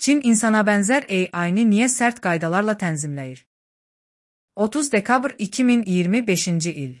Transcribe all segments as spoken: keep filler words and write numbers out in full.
Çin insanabənzər A I-ni niyə sərt qaydalarla tənzimləyir? otuz dekabr iki min iyirmi beşinci il.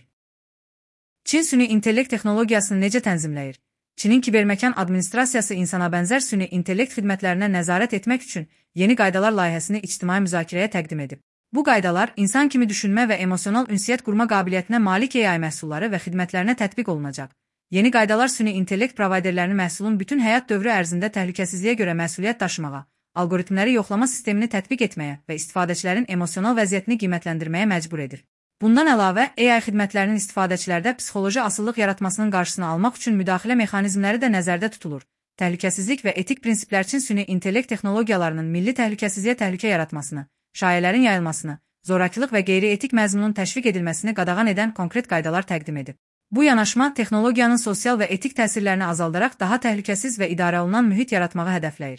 Çin süni intellekt texnologiyasını necə tənzimləyir? Çinin kiberməkan administrasiyası insanabənzər süni intellekt xidmətlərinə nəzarət etmək üçün yeni qaydalar layihəsini ictimai müzakirəyə təqdim edib. Bu qaydalar insan kimi düşünmə və emosional ünsiyyət qurma qabiliyyətinə malik A I məhsulları və xidmətlərinə tətbiq olunacaq. Yeni qaydalar süni intellekt provayderlərini məhsulun bütün həyat dövrü ərzində təhlükəsizliyə görə məsuliyyət daşımağa, algoritmləri yoxlama sistemini tətbiq etməyə və istifadəçilərin emosional vəziyyətini qiymətləndirməyə məcbur edir. Bundan əlavə, A I xidmətlərinin istifadəçilərdə psixoloji asıllıq yaratmasının qarşısını almaq üçün müdaxilə mexanizmləri də nəzərdə tutulur. Təhlükəsizlik və etik prinsiplər üçün süni intellekt texnologiyalarının milli təhlükəsizliyə təhlükə yaratmasını, şayələrin yayılmasını, zorakılıq və qeyri-etik məzmunun təşviq edilməsini qadağan edən konkret qaydalar təqdim edib. Bu yanaşma texnologiyanın sosial və etik təsirlərini azaldaraq daha təhlükəsiz və idarə olunan mühit yaratmağı hədəfləyir.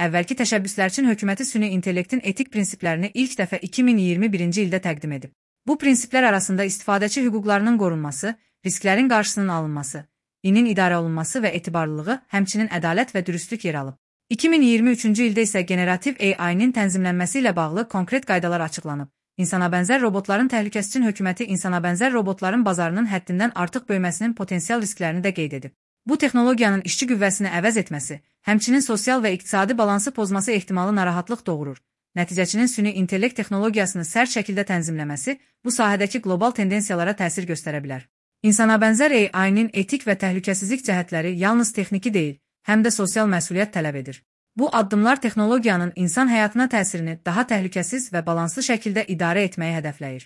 Əvvəlki təşəbbüslər üçün hökuməti süni intellektin etik prinsiplərini ilk dəfə iki min iyirmi birinci ildə təqdim edib. Bu prinsiplər arasında istifadəçi hüquqlarının qorunması, risklərin qarşısının alınması, inin idarə olunması və etibarlılığı, həmçinin ədalət və dürüstlük yer alıb. iki min iyirmi üçüncü ildə isə generativ A I-nin tənzimlənməsi ilə bağlı konkret qaydalar açıqlanıb. İnsanabənzər robotların təhlükəsi üçün hökuməti insanabənzər robotların bazarının həddindən artıq böyüməsinin potensial risklərini də qeyd edib. Bu texnologiyanın işçi qüvvəsini əvəz etməsi, həmçinin sosial və iqtisadi balansı pozması ehtimalı narahatlıq doğurur. Nəticəçinin süni intellekt texnologiyasını sərt şəkildə tənzimləməsi bu sahədəki qlobal tendensiyalara təsir göstərə bilər. İnsanabənzər A I-nin etik və təhlükəsizlik cəhətləri yalnız texniki deyil, həm də sosial məsuliyyət tələb edir. Bu addımlar texnologiyanın insan həyatına təsirini daha təhlükəsiz və balanslı şəkildə idarə etməyi hədəfləyir.